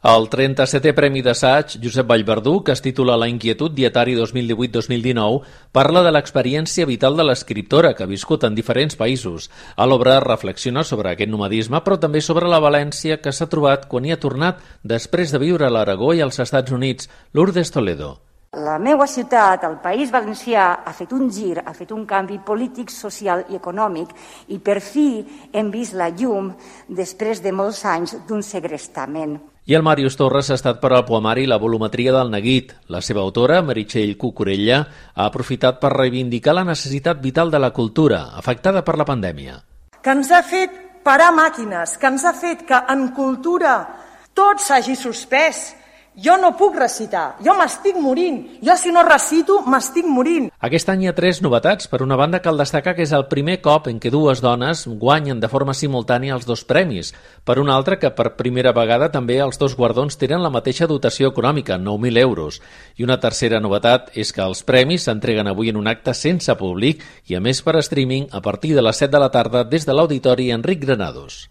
El 37è Premi d'Assaig Josep Vallverdú, que es titula La inquietud dietari 2018-2019, parla de l'experiència vital de l'escriptora que ha viscut en diferents països. A l'obra reflexiona sobre aquest nomadisme, però també sobre la València que s'ha trobat quan hi ha tornat després de viure a l'Aragó i als Estats Units. Lourdes Toledo. La meva ciutat, el País Valencià, ha fet un gir, ha fet un canvi polític, social i econòmic i per fi hem vist la llum després de molts anys d'un segrestament. I el Màrius Torres ha estat per al poemari La volumetria del neguit. La seva autora, Meritxell Cucurella, ha aprofitat per reivindicar la necessitat vital de la cultura, afectada per la pandèmia. Que ens ha fet parar màquines, que ens ha fet que en cultura tot s'hagi suspès. Jo no puc recitar, jo m'estic morint. Jo si no recito m'estic morint. Aquest any hi ha 3 novetats. Per una banda, cal destacar que és el primer cop en què 2 dones guanyen de forma simultània els 2 premis. Per una altra, que per primera vegada també els 2 guardons tenen la mateixa dotació econòmica, 9.000 euros. I una tercera novetat és que els premis s'entreguen avui en un acte sense públic i a més per streaming a partir de les 7 de la tarda des de l'Auditori Enric Granados.